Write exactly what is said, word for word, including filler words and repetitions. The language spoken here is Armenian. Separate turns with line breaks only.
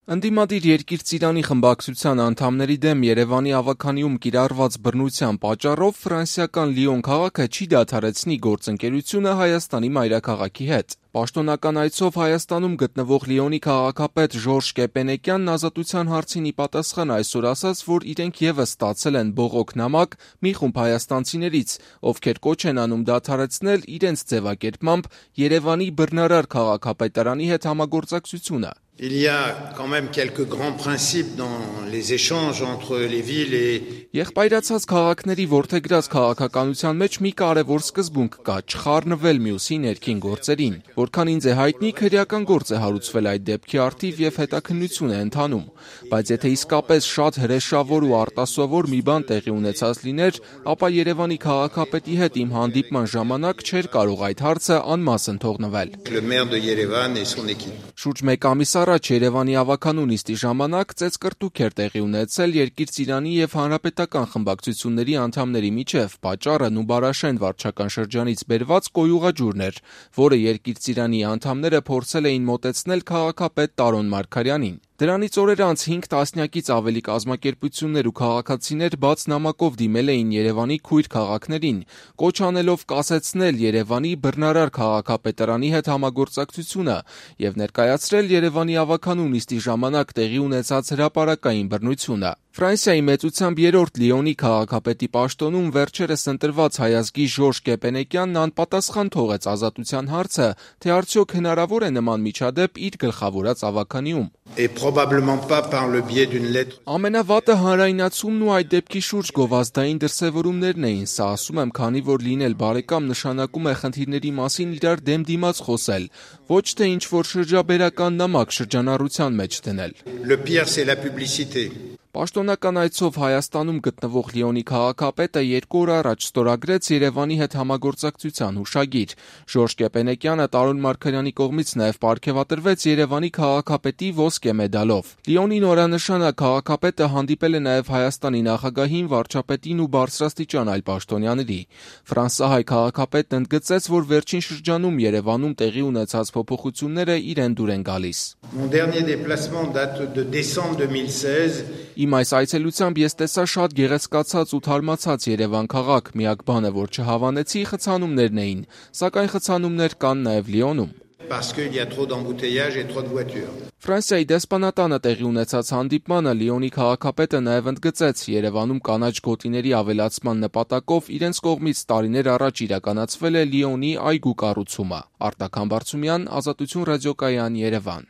Ընդդիմադիր Երկիր Ծիրանի խմբակցության անդամների դեմ Երևանի ավագանիում կիրառված բռնության պատճառով ֆրանսիական Լիոն քաղաքը չի դադարեցնի գործընկերությունը Հայաստանի մայրաքաղաքի հետ։ Պաշտոնական այցով Հայաստանում գտնվող Լիոնի քաղաքապետ Ժորժ Կեպենեկյանն ազատության հարցին ի պատասխան այսօր ասաց, որ իրենք ևս ստացել են բողոք նամակ մի խումբ հայաստանցիներից, ովքեր կոչ են անում դադարեցնել իրենց ձևակերպմամբ Երևանի բռնարար քաղաքապետարանի հետ համագործակցությունը։
Il y a quand même quelques grands principes dans les échanges entre les villes et
Եղբայրացած քաղաքների որդեգրած քաղաքականության մեջ մի կարևոր սկզբունք կա՝ չխառնվել մյուսի ներքին գործերին։ Որքան ինձ է հայտնի, քրեական գործ է հարուցվել այդ դեպքի առթիվ եւ հետաքննություն է ընթանում։ Բայց եթե իսկապես շատ հրեշավոր ու արտասովոր մի բան տեղի ունեցած լիներ, ապա Երևանի քաղաքապետի հետ իմ հանդիպման ժամանակ չէր կարող այդ հարցը անմասն թողնվել։
le maire de Yerevan et son équipe.
Շուրջ մեկ ամիս առաջ Երևանի ավագանու նիստի ժամանակ ծեծկռտուք էր տեղի ունեցել Երկիր Ծիրանի եւ Հանրապետական խմբակցությունների անդամների միջև։ Պատճառը Նուբարաշեն վարչական շրջանից բերված կոյուղաջուրն էր, որը Երկիր Ծիրանի անդամները փորձել էին մոտեցնել քաղաքապետ Տարոն Մարգարյանին։ Դրանից օրեր անց հինգ տասնյակից ավելի կազմակերպություններ ու քաղաքացիներ բաց նամակով դիմել էին Երևանի քույր քաղաքներին, կոչ անելով կասեցնել Երևանի բռնարար քաղաքապետարանի հետ համագործակցությունը եւ ներկայացրել Երևանի ավագանու նիստի ժամանակ տեղի ունեցած հրապարակային բռնությունը։ Ֆրանսիայի մեծությամբ երրորդ Լիոնի քաղաքապետի պաշտոնում վերջերս ընտրված հայազգի Ժորժ Կեպենեկյանն անպատասխան թողեց ազատության հարցը, թե արդյոք հնարավոր է նման միջադեպ իր գլխավորած ավագանիում։
Et probablement pas par le biais d'une lettre.
Ամենավատը հանրայնացումն ու այդ դեպքի շուրջ գովազդային դրսևորումներն էին, սա ասում եմ, քանի որ լինել բարեկամ նշանակում է խնդիրների մասին իրար դեմ դիմաց խոսել, ոչ թե ինչ-որ շրջաբերական նամակ շրջանառության մեջ դնել։
Le pire c'est la publicité.
Պաշտոնական այցով Հայաստանում գտնվող Լիոնի քաղաքապետը երկու օր առաջ ստորագրեց Երևանի հետ համագործակցության հուշագիր։ Ժորժ Կեպենեկյանը Տարոն Մարգարյանի կողմից նաև պարգևատրվեց Երևանի քաղաքապետի ոսկե մեդալով։ Լիոնի նորանշանակ քաղաքապետը հանդիպել է նաև Հայաստանի նախագահին, վարչապետին ու բարձրաստիճան այլ պաշտոնյաների։ Ֆրանսահայ քաղաքապետն ընդգծեց, որ վերջին շրջանում Երևանում տեղի ունեցած փոփոխությունները իրեն դուր են գալիս։
Mon dernier déplacement date de décembre deux mille seize.
Իմ այս այցելությամբ ես տեսա շատ գեղեցկացած ու թարմացած Երևան քաղաք, միակ բանը, որ չհավանեցի, խցանումներն էին, սակայն խցանումներ կան նաև Լիոնում։
Parce qu'il y a trop d'embouteillages et trop de voitures.
Ֆրանսիայի դեսպանատանը տեղի ունեցած հանդիպմանը Լիոնի քաղաքապետը նաև ընդգծեց Երևանում կանաչ գոտիների ավելացման նպատակով իրենց կողմից տարիներ առաջ իրականացվել է Լիոնի այգու կառուցումը։ Արտակ Համբարձումյան, Ազատություն ռադիոկայան, Երևան։